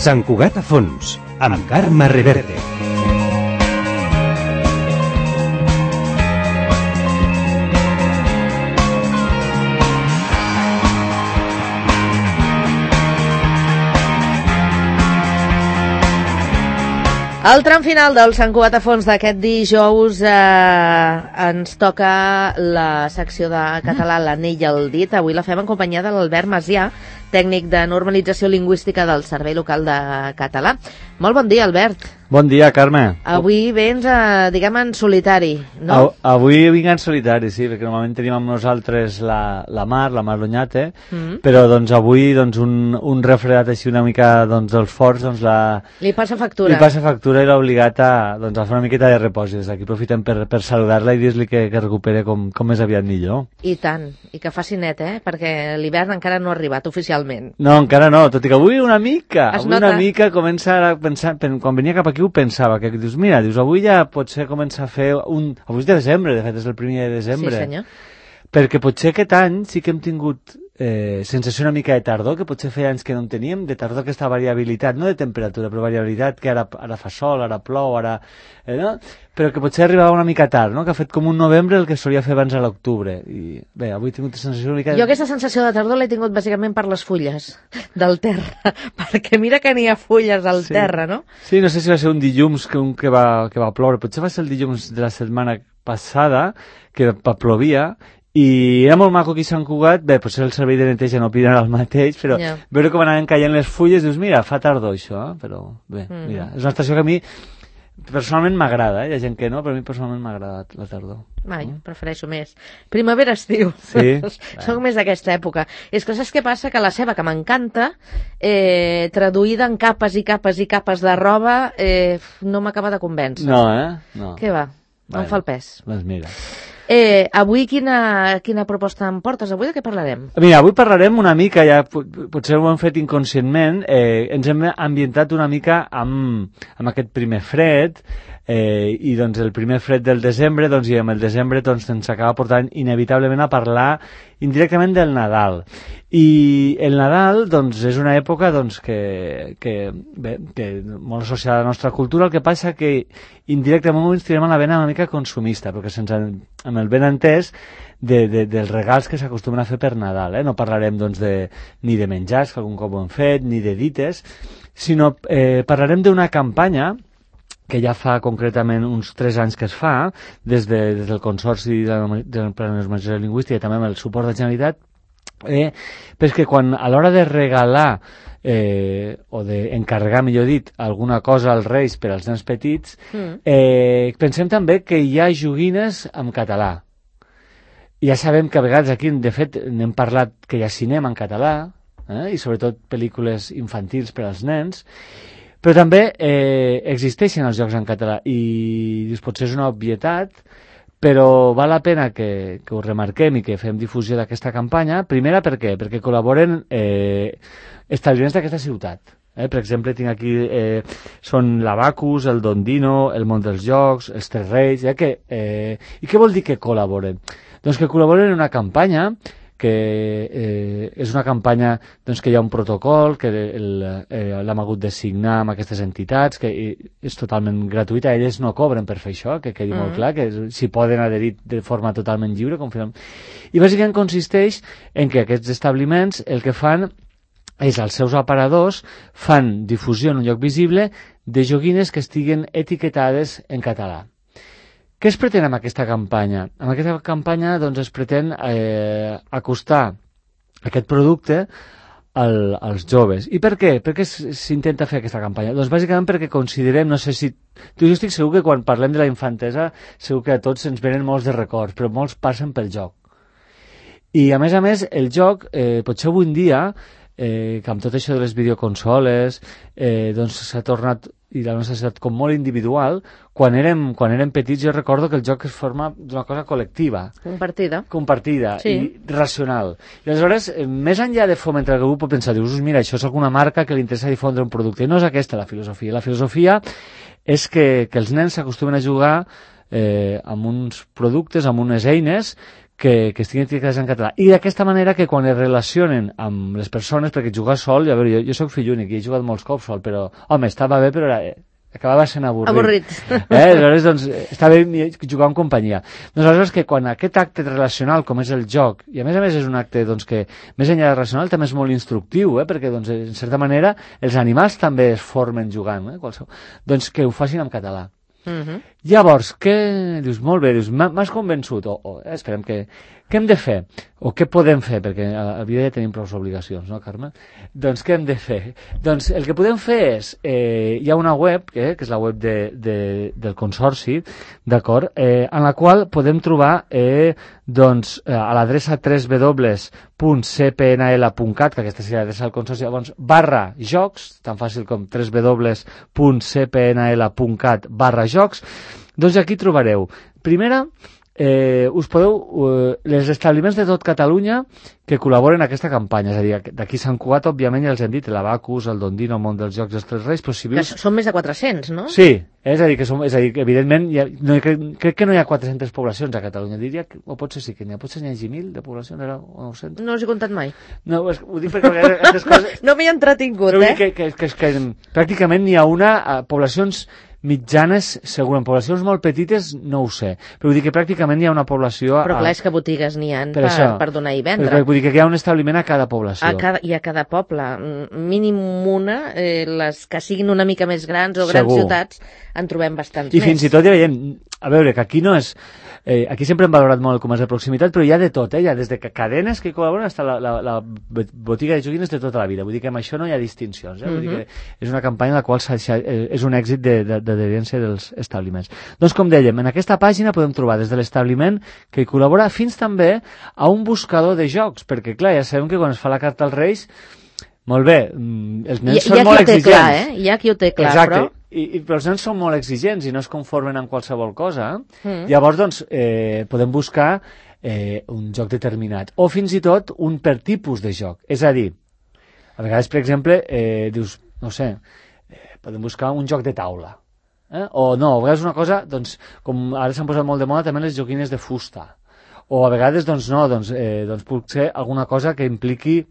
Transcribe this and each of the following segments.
Sant Cugat a fons, amb Carme Reverte. Al tram final del Sant Cugat a fons d'aquest dijous ens toca la secció de català l'anell al dit. Avui la fem en companyia de l'Albert Macià, tècnic de normalització lingüística del Servei Local de Català. Molt bon dia, Albert. Bon dia, Carme. Avui vens, diguem, en solitari, no? Avui vinc en solitari, sí, perquè normalment tenim amb nosaltres la Mar L'Onyate, però doncs avui doncs, un refredat així una mica doncs, dels forts doncs, li passa factura. Li passa factura i l'ha obligat a fer una miqueta de repòs. Des d'aquí aprofitem per saludar-la i dir-li que recupere com més aviat millor. I tant, i que faci net, perquè l'hivern encara no ha arribat oficialment. No, encara no, tot i que avui una mica comença a pensar, quan venia cap aquí ho pensava, que dius, mira, avui ja potser comença a fer avui és de desembre, de fet és el primer de desembre. Sí, senyor. Perquè potser aquest any sí que hem tingut sensació una mica de tardor, que potser feia anys que no en teníem, de tardor, aquesta variabilitat, no de temperatura, però variabilitat, que ara fa sol, ara plou, ara... no? Però que potser arribava una mica tard, no? Que ha fet com un novembre el que solia fer abans a l'octubre. I bé, avui he tingut sensació una mica... Jo aquesta sensació de tardor l'he tingut bàsicament per les fulles del terra, perquè mira que n'hi ha fulles al terra, no? Sí, no sé si va ser un dilluns que va ploure, potser va ser el dilluns de la setmana passada, que plovia, i era molt maco aquí a Sant Cugat. Bé, potser el servei de neteja no opinarà el mateix, però veure com anaven caient les fulles, dius, mira, fa tardor això, però bé, mira, és una estació que a mi personalment m'agrada, hi ha gent que no, però a mi personalment m'agrada la tardor. Prefereixo més. Primavera-estiu. Sí. Soc més d'aquesta època. És que saps què passa? Que la ceba, que m'encanta, traduïda en capes i capes i capes de roba, no m'acaba de convèncer. No, No. Què va? No em fa el pes. Doncs mira. Avui quina proposta em portes? Avui de què parlarem? Mira, avui parlarem una mica, ja potser ho hem fet inconscientment, ens hem ambientat una mica amb aquest primer fred, i doncs el primer fred del desembre, doncs, i amb el desembre doncs, ens acaba portant inevitablement a parlar indirectament del Nadal. I el Nadal doncs, és una època doncs, que molt associada a la nostra cultura, el que passa que indirectament ens tirem a la vena una mica consumista, perquè amb el ben entès dels regals que s'acostumen a fer per Nadal. No parlarem doncs, ni de menjars, que algun cop ho hem fet, ni de dites, sinó parlarem d'una campanya que ja fa concretament uns 3 anys que es fa, des del Consorci de la Normalització Lingüística i també amb el suport de la Generalitat, perquè quan a l'hora de regalar o d'encarregar, millor dit, alguna cosa als Reis per als nens petits, pensem també que hi ha joguines en català. Ja sabem que a vegades aquí, de fet, n'hem parlat que hi ha cinema en català, i sobretot pel·lícules infantils per als nens, però també existeixen els jocs en català i potser és una obvietat, però val la pena que ho remarquem i que fem difusió d'aquesta campanya. Primera, per què? Perquè col·laboren establiments d'aquesta ciutat. Per exemple, tinc aquí són l'Abacus, el Dondino, el Món dels Jocs, els Tres Reis. I què vol dir que col·laboren? Doncs que col·laboren en una campanya que és una campanya doncs, que hi ha un protocol, que l'hem hagut de signar amb aquestes entitats, que és totalment gratuïta, elles no cobren per fer això, que quedi molt clar, que s'hi poden adherir de forma totalment lliure. I bàsicament consisteix en que aquests establiments el que fan és als seus aparadors fan difusió en un lloc visible de joguines que estiguen etiquetades en català. Què es pretén amb aquesta campanya? Amb aquesta campanya doncs, es pretén acostar aquest producte als joves. I per què? Per què s'intenta fer aquesta campanya? Doncs bàsicament perquè considerem, no sé si... Jo estic segur que quan parlem de la infantesa segur que a tots ens venen molts de records, però molts passen pel joc. I a més, el joc, potser avui en dia, que amb tot això de les videoconsoles doncs s'ha tornat i la nostra societat com molt individual. Quan érem petits jo recordo que el joc es forma d'una cosa col·lectiva, compartida sí. I racional. I aleshores, més enllà de fomentar, algú pot pensar, dius, mira, això és alguna marca que li interessa difondre un producte, i no és aquesta la filosofia. La filosofia és que els nens s'acostumen a jugar amb uns productes, amb unes eines que estiguin etiquetades en català. I d'aquesta manera que quan es relacionen amb les persones, perquè jugar sol, a veure, jo soc fill únic i he jugat molts cops sol, però, home, estava bé, però acabava sent avorrit. Aleshores, doncs, està bé jugar en companyia. Doncs aleshores que quan aquest acte relacional, com és el joc, i a més és un acte doncs, que més enllà de relacional també és molt instructiu, perquè doncs, en certa manera els animals també es formen jugant, doncs que ho facin en català. Llavors, què dius? Molt bé, dius, m'has convençut, esperem que què hem de fer? O què podem fer? Perquè a la vida ja tenim prou obligacions, no, Carme? Doncs què hem de fer? Doncs el que podem fer és, hi ha una web, que és la web del Consorci, d'acord, en la qual podem trobar doncs, a l'adreça www.cpnl.cat, que aquesta seria l'adreça del Consorci, llavors, /jocs, tan fàcil com www.cpnl.cat/jocs, doncs aquí trobareu, primera, us podeu, els establiments de tot Catalunya que col·laboren en aquesta campanya, és a dir, d'aquí Sant Cugat, òbviament, ja els hem dit, l'Abacus, el Dondino, el Món dels Jocs dels Tres Reis, però si vius... Són més de 400, no? Sí, és a dir, que evidentment, crec que no hi ha 400 poblacions a Catalunya, diria, o potser sí que n'hi ha, potser n'hi hagi 1.000 de poblacions, o 900. No els he comptat mai. No, ho dic perquè aquestes coses... No m'hi he entretingut, que pràcticament n'hi ha poblacions mitjanes, segur, en poblacions molt petites no ho sé, però vull dir que pràcticament hi ha una població... Però clar, és que botigues n'hi ha per donar i vendre. Però vull dir que hi ha un establiment a cada població. I a cada poble. Mínim una, les que siguin una mica més grans o grans ciutats, en trobem bastants més. I fins i tot ja veiem, a veure, que aquí no és... aquí sempre hem valorat molt el comerç de proximitat, però hi ha de tot, hi ha des de cadenes que col·laboren fins a la botiga de joguines de tota la vida. Vull dir que amb això no hi ha distincions. Vull dir que és una campanya en la qual és un èxit d'adherència dels establiments. Doncs, com dèiem, en aquesta pàgina podem trobar des de l'establiment que hi col·labora fins també a un buscador de jocs, perquè, clar, ja sabem que quan es fa la carta als Reis, molt bé, els nens són molt exigents. Hi ha qui ho té clar, exacte. Però... però els nens són molt exigents i no es conformen amb qualsevol cosa. Llavors, doncs, podem buscar un joc determinat. O fins i tot un per tipus de joc. És a dir, a vegades, per exemple, dius, no sé, podem buscar un joc de taula. O no, a vegades una cosa, doncs, com ara s'han posat molt de moda també les joguines de fusta. O a vegades, doncs no, doncs pot ser alguna cosa que impliqui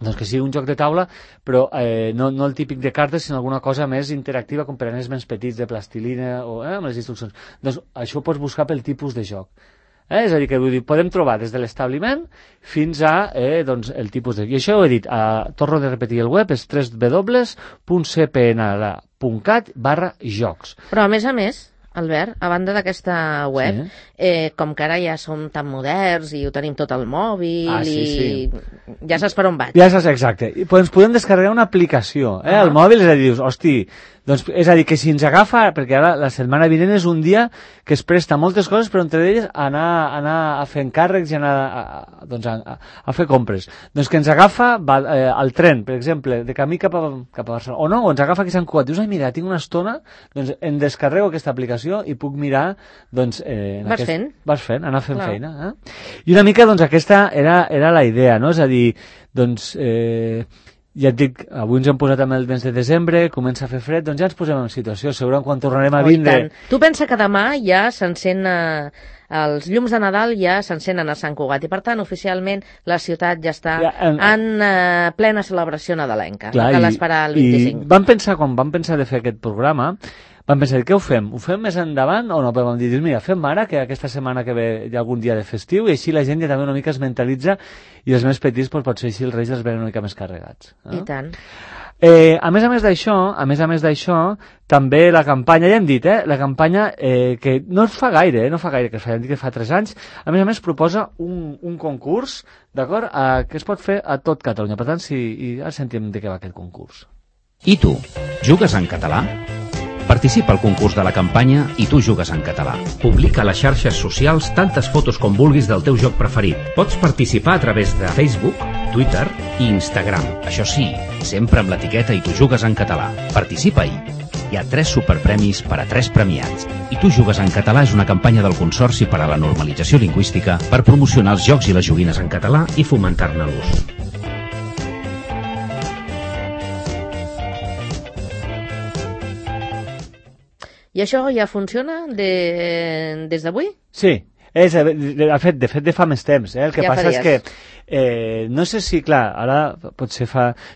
doncs que sigui un joc de taula, però no el típic de cartes, sinó alguna cosa més interactiva, com per a nens més petits, de plastilina, o amb les instruccions. Doncs això ho pots buscar pel tipus de joc. És a dir, que podem trobar des de l'establiment fins a doncs, el tipus de... I això ho he dit, torno de repetir el web, és www.cpnl.cat/jocs. Però a més, Albert, a banda d'aquesta web, com que ara ja som tan moderns i ho tenim tot al mòbil i ja saps per on vaig. Ja saps, exacte. I ens podem descarregar una aplicació al mòbil, és a dir, dius, hosti, doncs, és a dir, que si ens agafa, perquè ara la setmana vinent és un dia que es presta moltes coses, però entre elles anar a fer encàrrecs i anar a fer compres. Doncs que ens agafa al tren, per exemple, de camí cap a Barcelona, o no, o ens agafa aquí a Sant Cugat. Dius, mira, tinc una estona, doncs em descarrego aquesta aplicació i puc mirar, doncs... Vas fent, anar fent feina. I una mica, doncs, aquesta era la idea, no? És a dir, doncs... ja et dic, avui ens hem posat amb el mes de desembre, comença a fer fred, doncs ja ens posem en situació, segurament quan tornarem a vindre... Tu pensa que demà ja s'encén... els llums de Nadal ja s'encenen a Sant Cugat i, per tant, oficialment la ciutat ja està en plena celebració nadalenca. Clar, cal esperar el 25. I quan vam pensar de fer aquest programa, vam pensar, què ho fem? Ho fem més endavant o no? Però vam dir, mira, fem ara, que aquesta setmana que ve hi ha algun dia de festiu, i així la gent ja també una mica es mentalitza i els més petits, doncs, potser així els Reis els venen una mica més carregats. I tant. A més a més d'això, també la campanya, ja hem dit, la campanya que no es fa gaire, que es fa 3 anys, a més proposa un concurs, d'acord, que es pot fer a tot Catalunya. Per tant, ara sentim de què va aquest concurs. I tu, jugues en català? Participa al concurs de la campanya I tu jugues en català. Publica a les xarxes socials tantes fotos com vulguis del teu joc preferit. Pots participar a través de Facebook, Twitter i Instagram. Això sí, sempre amb l'etiqueta I tu jugues en català. Participa-hi. Hi ha 3 superpremis per a 3 premiats. I tu jugues en català és una campanya del Consorci per a la Normalització Lingüística per promocionar els jocs i les joguines en català i fomentar-ne l'ús. I això ja funciona des d'avui? Sí. De fet, fa més temps. El que passa és que no sé si, clar, ara potser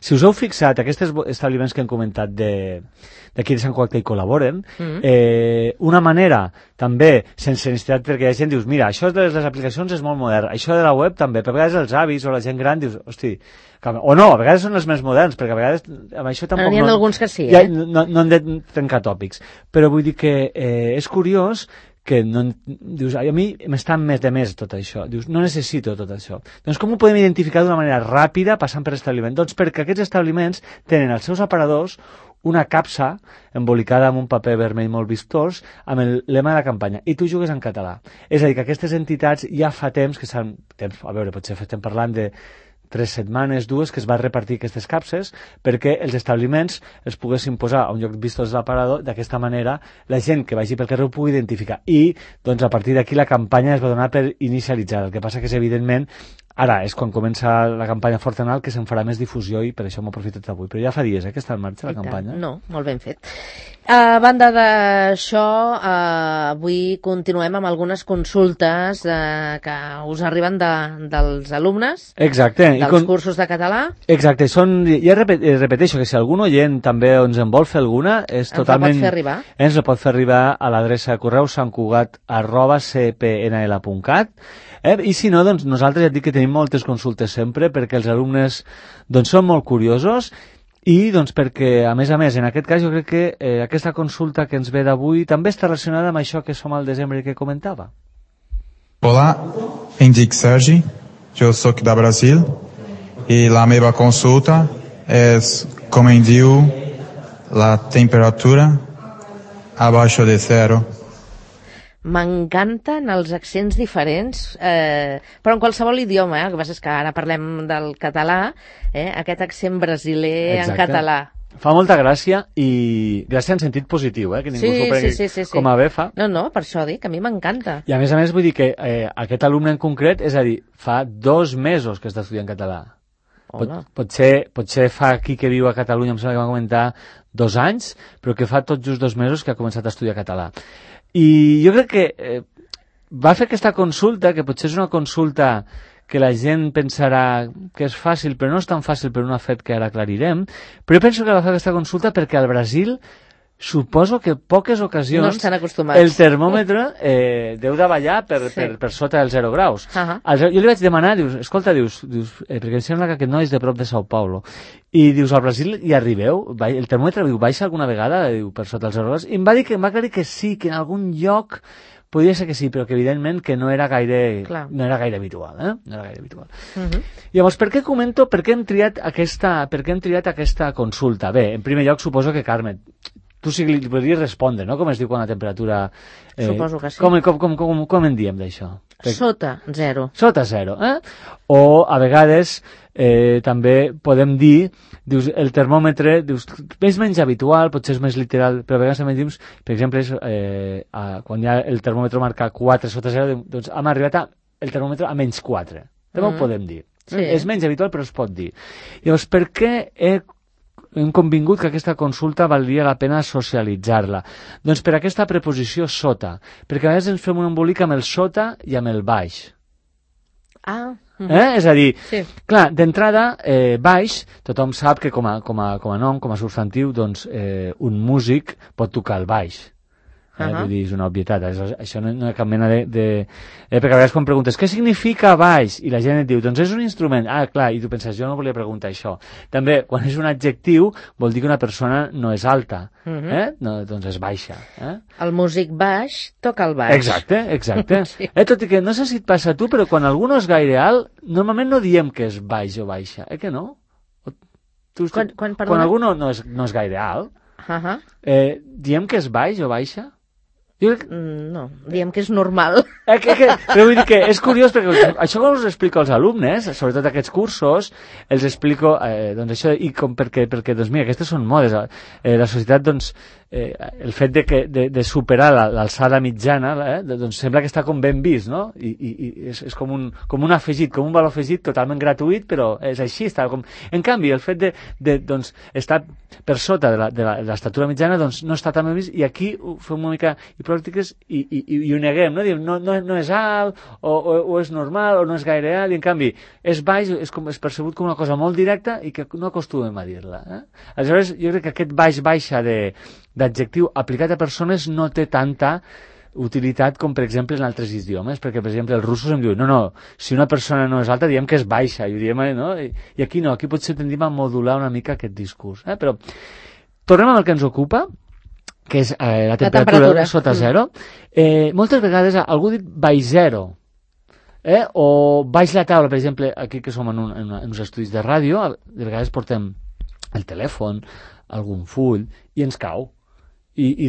si us heu fixat, aquests establiments que hem comentat d'aquí de Sant Cugat que hi col·laboren, una manera també, sense necessitat, perquè hi ha gent dius, mira, això de les aplicacions és molt modern, això de la web també, però a vegades els avis o la gent gran dius, hosti, o no, a vegades són els més moderns, perquè a vegades amb això tampoc n'hi ha alguns que sí, no hem de trencar tòpics, però vull dir que és curiós que dius, a mi m'està més de més tot això, dius, no necessito tot això. Doncs com ho podem identificar d'una manera ràpida passant per establiment? Doncs perquè aquests establiments tenen als seus aparadors una capsa embolicada amb un paper vermell molt vistós amb el lema de la campanya, i tu jugues en català. És a dir, que aquestes entitats ja fa temps que a veure, potser estem parlant de 3 setmanes, 2, que es va repartir aquestes capses perquè els establiments els poguessin posar a un lloc vistós de l'aparador. D'aquesta manera la gent que vagi pel carrer ho pugui identificar, i doncs a partir d'aquí la campanya es va donar per inicialitzada. El que passa que és evidentment ara és quan comença la campanya Fortanal que se'n farà més difusió, i per això m'ho he aprofitat avui, però ja fa dies que està en marxa la campanya. No, molt ben fet. A banda d'això, avui continuem amb algunes consultes que us arriben dels alumnes. Exacte. Dels cursos de català. Exacte. Ja repeteixo que si algun oient també ens en vol fer alguna, és totalment... Ens la pot fer arribar a l'adreça de correu santcugat@cpnl.cat. I si no, doncs nosaltres ja et dic que tenim moltes consultes sempre, perquè els alumnes doncs són molt curiosos, i doncs perquè, a més, en aquest cas jo crec que aquesta consulta que ens ve d'avui també està relacionada amb això que som al desembre que comentava. Olá, em dic Sergi, jo soc de Brasil, i la meva consulta és com em diu la temperatura abaixo de 0. M'encanten els accents diferents, però en qualsevol idioma, el que passa és que ara parlem del català, aquest accent brasiler en català. Fa molta gràcia, i gràcia en sentit positiu, que ningú s'ho prengui com a bé fa. No, per això dic, a mi m'encanta. I a més vull dir que aquest alumne en concret, és a dir, fa 2 mesos que està estudiant català. Potser fa aquí que viu a Catalunya, em sembla que va comentar 2 anys, però que fa tot just 2 mesos que ha començat a estudiar català. I jo crec que va fer aquesta consulta, que potser és una consulta que la gent pensarà que és fàcil, però no és tan fàcil per un fet que ara aclarirem, però jo penso que va fer aquesta consulta perquè al Brasil suposo que poques ocasions no estan acostumats. El termòmetre deu de ballar per sota dels 0 graus. Jo li vaig demanar, escolta, perquè em sembla que aquest noi és de prop de Sao Paulo, i dius, al Brasil hi arribeu? El termòmetre baixa alguna vegada per sota els 0 graus? I em va aclarir que sí, que en algun lloc podria ser que sí, però que evidentment que no era gaire habitual. No era gaire habitual. Llavors, per què comento, per què hem triat aquesta consulta? Bé, en primer lloc, suposo que, Carme, tu sí que li podries respondre, no? Com es diu quan la temperatura... Suposo que sí. Com en diem d'això? Sota 0. Sota 0, O a vegades també podem dir, dius, el termòmetre, dius, és menys habitual, potser és més literal, però a vegades també dius, per exemple, quan hi ha el termòmetre marca 4 sota 0, doncs hem arribat el termòmetre a menys 4. També ho podem dir. Sí. És menys habitual, però es pot dir. Llavors, per què hem convingut que aquesta consulta valdria la pena socialitzar-la? Doncs per aquesta preposició sota, perquè a vegades ens fem un embolic amb el sota i amb el baix. És a dir, clar, d'entrada, baix, tothom sap que com a nom, com a substantiu, doncs un músic pot tocar el baix. Vull dir, és una obvietat, això no hi ha cap mena perquè a vegades quan preguntes què significa baix, i la gent et diu, doncs és un instrument. Clar, i tu penses, jo no volia preguntar això. També, quan és un adjectiu, vol dir que una persona no és alta, doncs és baixa. El músic baix toca el baix. Exacte. Tot i que no sé si et passa a tu, però quan algú no és gaire alt, normalment no diem que és baix o baixa, que no? Quan algú no és gaire alt, diem que és baix o baixa? No, diem que és normal. Però vull dir que és curiós, perquè això com us explico als alumnes, sobretot aquests cursos, els explico, doncs això, i com perquè doncs mira, aquestes són modes. La societat, doncs, el fet de superar l'alçada mitjana, doncs sembla que està com ben vist, no? I és com un afegit, com un valor afegit totalment gratuït, però és així, està com... En canvi, el fet de estar per sota de l'estatura mitjana, doncs no està tan ben vist, i aquí ho fem una mica... I pràctiques i ho neguem, no? Diem, no és alt, o és normal, o no és gaire alt, i en canvi és baix, és percebut com una cosa molt directa i que no acostumem a dir-la. Aleshores, jo crec que aquest baix-baixa d'adjectiu aplicat a persones no té tanta utilitat com, per exemple, en altres idiomes, perquè, per exemple, els russos em diuen, no, si una persona no és alta, diem que és baixa, i ho diem, no? I aquí no, aquí potser tendim a modular una mica aquest discurs. Però tornem al que ens ocupa, que és la temperatura sota zero. Moltes vegades algú dit baix zero, o baix la taula, per exemple, aquí que som en uns estudis de ràdio, de vegades portem el telèfon, algun full, i ens cau. I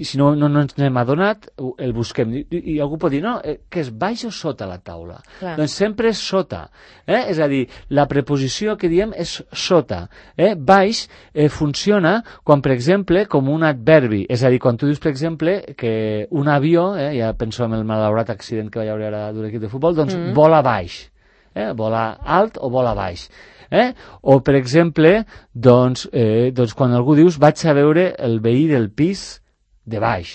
si no ens n'hem adonat, el busquem. I algú pot dir, no, que és baix o sota la taula? Clar. Doncs sempre és sota. És a dir, la preposició que diem és sota. Baix funciona quan, per exemple, com un adverbi. És a dir, quan tu dius, per exemple, que un avió, ja penso en el malaurat accident que va haver ara d'un equip de futbol, doncs vola baix. Vola alt o vola baix. O, per exemple, doncs, quan algú dius vaig a veure el veí del pis de baix.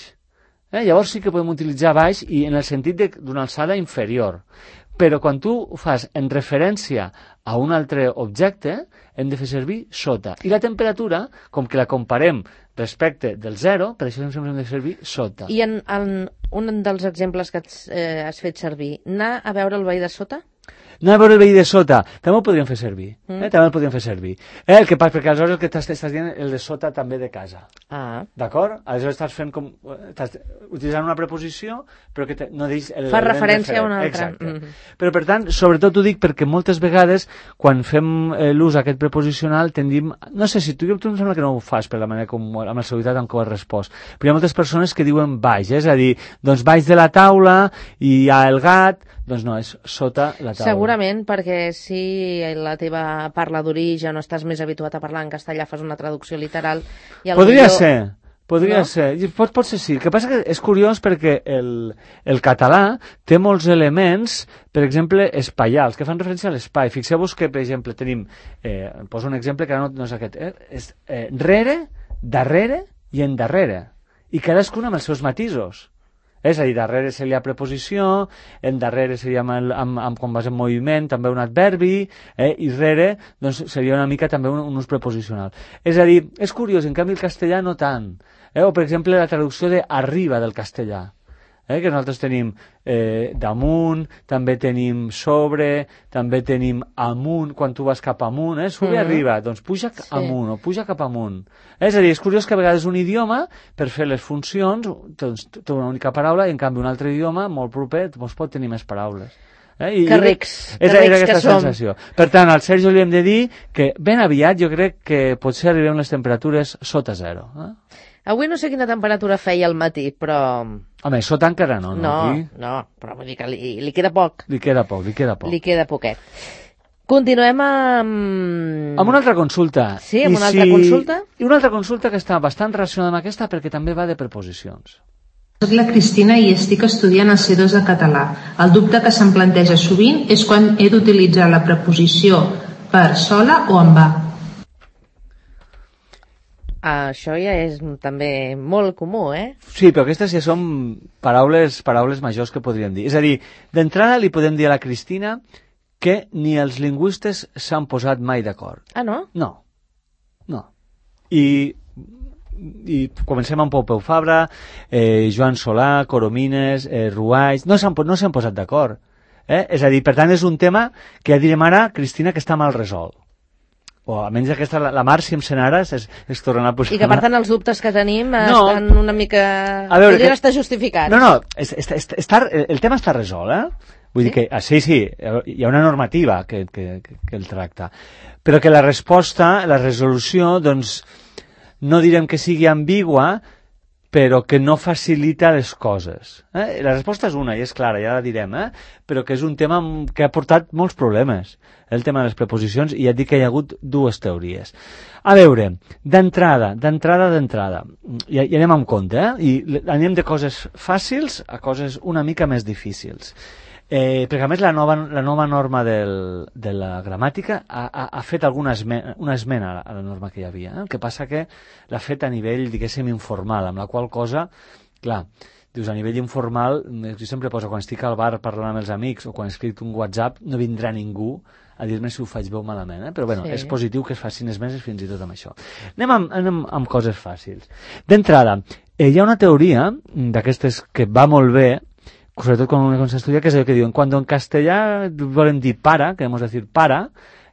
Llavors sí que podem utilitzar baix i en el sentit d'una alçada inferior. Però quan tu ho fas en referència a un altre objecte, hem de fer servir sota. I la temperatura, com que la comparem respecte del zero, per això sempre hem de servir sota. I en un dels exemples que has fet servir, anar a veure el veí de sota? Anar a veure el veí de sota, també ho podríem fer servir. També el podríem fer servir. El que passa, perquè aleshores el que estàs dient el de sota també de casa. D'acord? Aleshores estàs fent com... Estàs utilitzant una preposició, però que no deix... Fa referència a una altra. Exacte. Però, per tant, sobretot ho dic perquè moltes vegades, quan fem l'ús aquest preposicional, tendim... No sé si tu em sembla que no ho fas per la manera com... amb la seguretat amb què ho has respost. Però hi ha moltes persones que diuen baix, és a dir, doncs baix de la taula i hi ha el gat, doncs no, és sota la taula. Segurament, perquè si la teva parla d'origen o estàs més habituat a parlar en castellà, fas una traducció literal... Podria ser. Pot ser sí. El que passa que és curiós perquè el català té molts elements, per exemple, espaials, que fan referència a l'espai. Fixeu-vos que, per exemple, tenim... poso un exemple que no és aquest. És rere, darrere i endarrere. I cadascun amb els seus matisos. És a dir, darrere seria preposició, endarrere seria quan vas en moviment, també un adverbi, i rere doncs, seria una mica també un ús preposicional. És a dir, és curiós, en canvi el castellà no tant. O, per exemple, la traducció de arriba del castellà, que nosaltres tenim damunt, també tenim sobre, també tenim amunt, quan tu vas cap amunt, sube arriba, doncs puja amunt o puja cap amunt. És a dir, és curiós que a vegades un idioma, per fer les funcions, doncs, té una única paraula, i en canvi un altre idioma, molt proper, doncs pot tenir més paraules. Que rics és aquesta sensació. Per tant, al Sergio li hem de dir que ben aviat jo crec que potser arribem les temperatures sota zero. Avui no sé quina temperatura feia al matí, però... Home, sota encara no. No, però vull dir que li queda poc. Li queda poc. Li queda poquet. Continuem amb... Amb una altra consulta. Sí, amb una altra consulta? I una altra consulta que està bastant relacionada amb aquesta perquè també va de preposicions. Soc la Cristina i estic estudiant el C2 de català. El dubte que se'm planteja sovint és quan he d'utilitzar la preposició per sola o en va. Això ja és també molt comú, Sí, però aquestes ja són paraules majors que podríem dir. És a dir, d'entrada li podem dir a la Cristina que ni els lingüistes s'han posat mai d'acord. Ah, no? No. I comencem amb Pompeu Fabra, Joan Solà, Coromines, Ruaix... No s'han posat d'acord. És a dir, per tant, és un tema que ja direm ara, Cristina, que està mal resolt. O almenys aquesta, la Mar, si em sent ara, es tornarà a posar... I que, per tant, els dubtes que tenim estan una mica... Podrien estar justificats. No, el tema està resolt, Vull dir que, sí, hi ha una normativa que el tracta. Però que la resposta, la resolució, doncs, no direm que sigui ambigua, però que no facilita les coses. La resposta és una, i és clara, ja la direm, però que és un tema que ha portat molts problemes, el tema de les preposicions, i ja et dic que hi ha hagut dues teories. A veure, d'entrada, i anem amb compte, i anem de coses fàcils a coses una mica més difícils. Perquè a més la nova norma de la gramàtica ha fet una esmena a la norma que hi havia. El que passa que l'ha fet a nivell, diguéssim, informal, amb la qual cosa, clar, dius, a nivell informal, jo sempre poso, quan estic al bar parlant amb els amics o quan escric un WhatsApp, no vindrà ningú a dir-me si ho faig bé o malament, però bueno, és positiu que es facin esmenes fins i tot amb això. Anem amb coses fàcils. D'entrada, hi ha una teoria d'aquestes que va molt bé, sobretot quan s'estudia, que és allò que diuen, quan en castellà volem dir para, queremos decir para,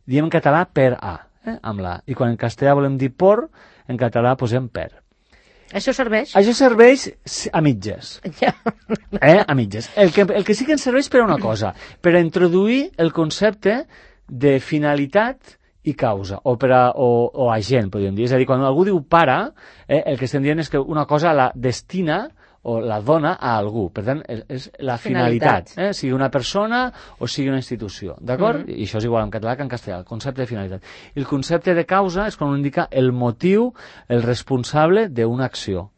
diem en català per a, amb la. I quan en castellà volem dir por, en català posem per. Això serveix? Això serveix a mitges. Ja. A mitges. El que sí que ens serveix per a una cosa, per a introduir el concepte de finalitat i causa, o agent, podríem dir. És a dir, quan algú diu para, el que estem dient és que una cosa la destina o la dona a algú. Per tant, és la finalitat. Sigui una persona o sigui una institució. D'acord? I això és igual en català que en castellà, el concepte de finalitat. I el concepte de causa és quan indica el motiu, el responsable d'una acció.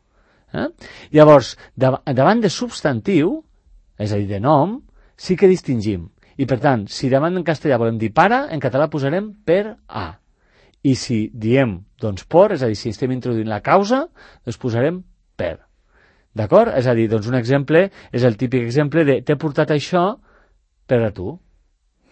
Llavors, davant de substantiu, és a dir, de nom, sí que distingim. I per tant, si davant en castellà volem dir para, en català posarem per a. I si diem, doncs, por, és a dir, si estem introduint la causa, doncs posarem per. D'acord? És a dir, doncs un exemple és el típic exemple de t'he portat això per a tu.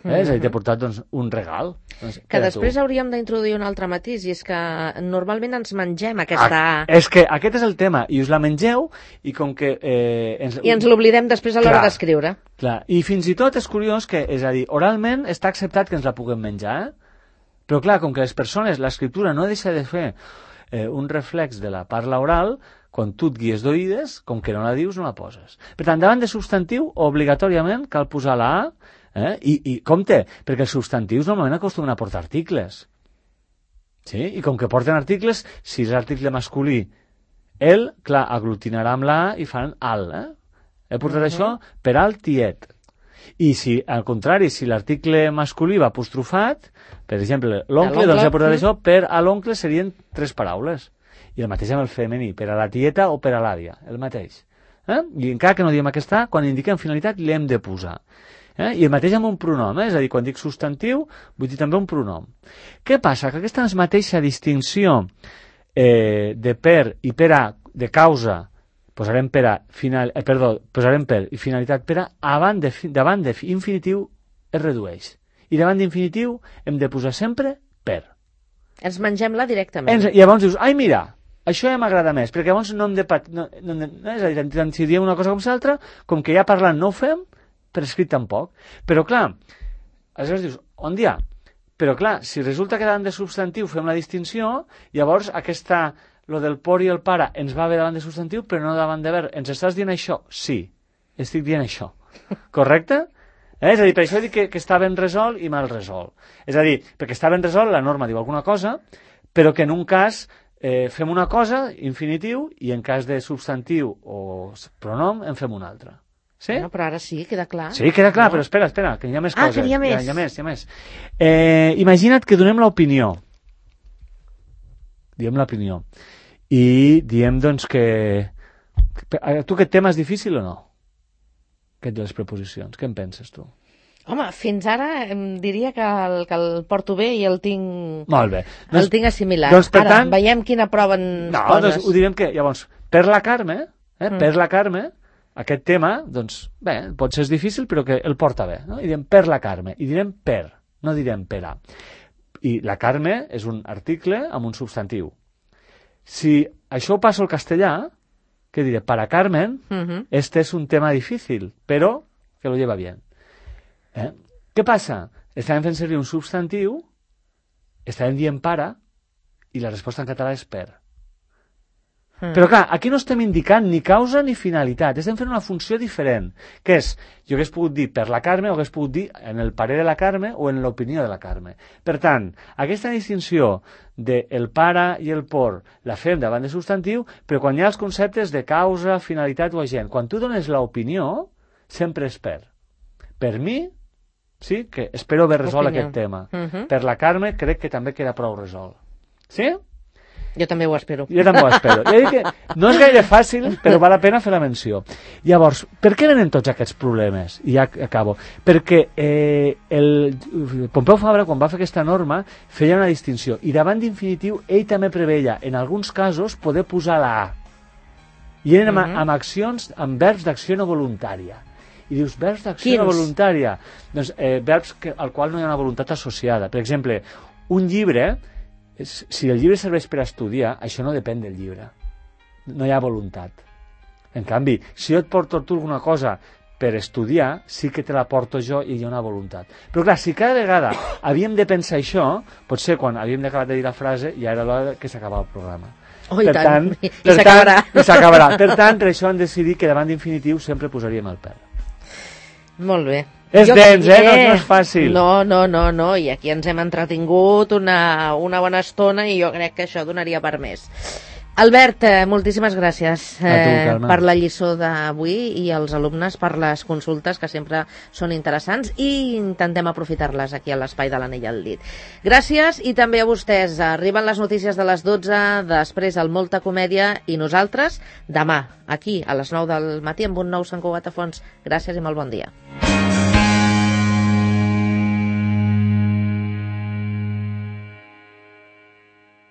És a dir, t'he portat doncs, un regal. Doncs, que després hauríem d'introduir un altre matís, i és que normalment ens mengem aquesta A. És que aquest és el tema, i us la mengeu, i com que... I ens l'oblidem després a l'hora d'escriure. Clar, i fins i tot és curiós que, és a dir, oralment està acceptat que ens la puguem menjar, però clar, com que les persones, l'escriptura no deixa de fer un reflex de la parla oral, quan tu et guies d'oïdes, com que no la dius, no la poses. Per tant, davant de substantiu, obligatòriament cal posar la A, i compte, perquè els substantius normalment acostumen a portar articles. Sí? I com que porten articles, si és l'article masculí, el, clar, aglutinarà amb la A i fan al. He portat això per al tiet. I si, al contrari, si l'article masculí va apostrofat, per exemple, l'oncle, doncs he portat això per a l'oncle serien 3 paraules. I el mateix amb el femení, per a la tieta o per a l'àvia, el mateix. I encara que no diem aquesta, quan indiquem finalitat l'hem de posar. I el mateix amb un pronom, és a dir, quan dic substantiu, vull dir també un pronom. Què passa? Que aquesta mateixa distinció de per i per a, de causa, posarem per i finalitat per a, davant de infinitiu es redueix. I davant d'infinitiu hem de posar sempre per. Ens mengem-la directament. I llavors dius, ai mira, això ja m'agrada més, perquè llavors no hem de... és a dir, tant si diem una cosa com l'altra, com que ja parlant no ho fem, per escrit tampoc. Però clar, aleshores dius, on hi ha? Però clar, si resulta que davant de substantiu fem la distinció, llavors lo del por i el para ens va bé davant de substantiu, però no davant de verb. Ens estàs dient això? Sí, estic dient això. Correcte? És a dir, per això dic que està ben resolt i mal resolt. És a dir, perquè està ben resolt, la norma diu alguna cosa, però que en un cas fem una cosa, infinitiu, i en cas de substantiu o pronom en fem una altra. Sí? Bueno, però ara sí, queda clar. Sí, queda clar, però espera, que hi ha més coses. Que hi ha més. Hi ha més. Imagina't que donem l'opinió. Diem l'opinió. I diem, doncs, que... Tu aquest tema és difícil o no? Aquest de les preposicions. Què en penses, tu? Home, fins ara em diria que el porto bé i el tinc... Molt bé. El tinc assimilat. Doncs, per tant... veiem quina prova ens poses. Doncs ho direm que, llavors, per la Carme, per la Carme, aquest tema, doncs, bé, pot ser difícil, però que el porta bé. No? I direm per la Carme, i direm per, no direm per a. I la Carme és un article amb un substantiu. Si això ho passo al castellà, què diré? Para Carmen, este es un tema difícil, però que lo lleva bien. Què passa? Estàvem fent servir un substantiu, estàvem dient para, i la resposta en català és per. Però clar, aquí no estem indicant ni causa ni finalitat, estem fent una funció diferent, que és, jo hagués pogut dir per la Carme o hagués pogut dir en el parer de la Carme o en l'opinió de la Carme. Per tant, aquesta distinció de el para i el por la fem davant de substantiu, però quan hi ha els conceptes de causa, finalitat o agent, quan tu dones l'opinió, sempre és per. Per mi, sí, que espero haver resolt aquest tema. Per la Carme crec que també queda prou resolt. Sí? Jo també ho espero. Jo també ho espero. Ja dic que no és gaire fàcil, però val la pena fer la menció. Llavors, per què venen tots aquests problemes? I ja acabo. Perquè el Pompeu Fabra, quan va fer aquesta norma, feia una distinció. I davant d'infinitiu, ell també preveia, en alguns casos, poder posar la A. I eren amb accions, amb verbs d'acció no voluntària. I dius, verbs d'acció no voluntària? Doncs verbs al qual no hi ha una voluntat associada. Per exemple, un llibre, si el llibre serveix per estudiar, això no depèn del llibre. No hi ha voluntat. En canvi, si jo et porto tu alguna cosa per estudiar, sí que te la porto jo i hi ha una voluntat. Però clar, si cada vegada havíem de pensar això, potser quan havíem d'acabar de dir la frase ja era l'hora que s'acabava el programa. Oh, i tant, i s'acabarà. Per tant, per això han decidit que davant d'infinitiu sempre posaríem el pèl. Molt bé. És dens, no és fàcil. No, i aquí ens hem entretingut una bona estona i jo crec que això donaria per més. Albert, moltíssimes gràcies per la lliçó d'avui i als alumnes per les consultes que sempre són interessants i intentem aprofitar-les aquí a l'Espai de l'Anell al Dit. Gràcies i també a vostès. Arriben les notícies de les 12, després el Molta Comèdia i nosaltres demà aquí a les 9 del matí amb un nou Sant Cugat a Fons. Gràcies i molt bon dia.